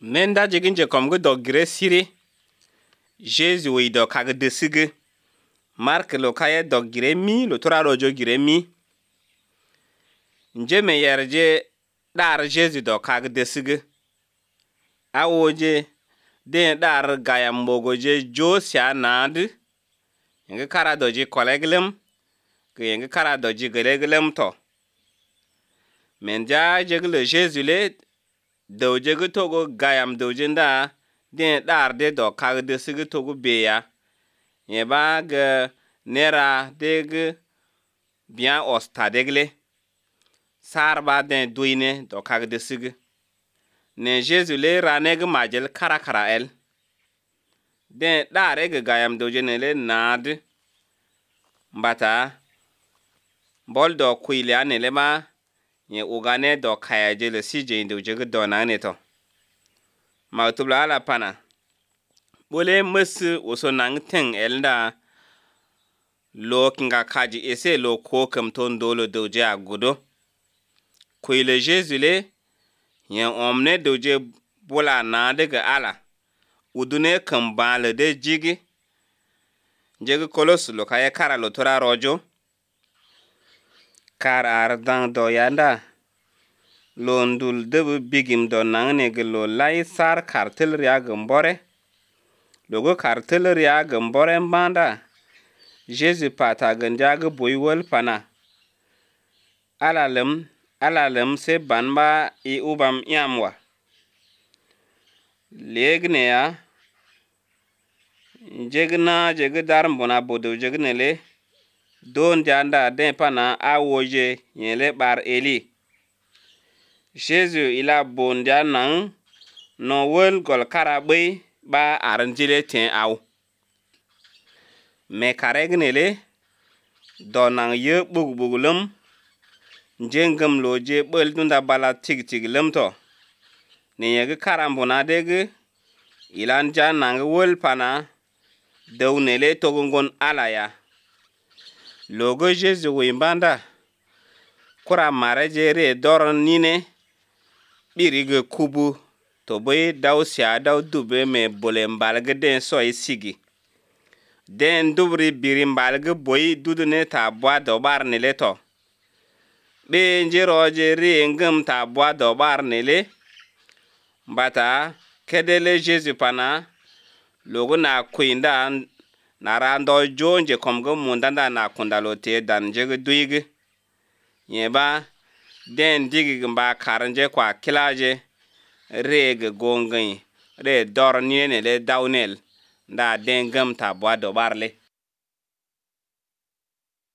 Menda jigin je kom go dogire siri. Jésus wi do kag desige. Mark lo kaye dogire mi lo tora rojo gire mi. Nje me yerje dar Jésus do kag desige. Awoje den dar gayam bogoje Josia nad. Yenge kara doji koleglem. Ke yenge kara doji geleglem to. Menja jegle Jésus le doje go togo gayam doje nda den dar de do kag desige togo beya. Yeba ge nera deg bien osta degle. Sarba den duine do kag desige. Ne Jésus le raneg majel kara el. Den dar ege gayam doje ne le nad. Mbata bol do kuile ane le ma ye ugane do kaya je le sije doje go do na ne to. Ma tubla ala pana. Bole musu oso nang teng elda lo kinga kaji ese lo ko kam ton dolo doje agudo. Kuile Jésus le yen omne doje bola na daga ala. Udune kam bale de jigi. Jigi kolos lo kaya kara lo tora rojo. Kar ardang do yanda. Lo ndul debu bigim do nangne lo lai sar kartel ria gambore. Logo kartel ria gambore mbanda. Jésus pata ganjaga boywol pana. Alalem se banba i ubam yamwa. Legne ya. Jegi darmbona bodo jegne le. Don janda den pana awoje yele bar eli. Jésus ila bonja nang no wol gol karabe ba aranjile ten aw. Me karegne le donang ye bugulum jengam loje bel dunda bala tig lem to. Ne yege karambona dege ilan jan nang wol pana dawnele togongon alaya. Logo Jésus wimbanda kura marejere doron nine birige kubu to boy daw sia daw dube me bolembalge den soy sigi. Den dubri birimbalge boy dudune ta bwa dobar nele to. Be njeroje ri ngam ta bwa dobar nele. Mbata kedele Jésus pana logo na kuinda na rando jonje komgo mundanda na kundalote dan jege duige. Yeba den digi mba karanje kwa kilaje rege gongen re dor niene le dawnel da den gam ta bwa dobarle.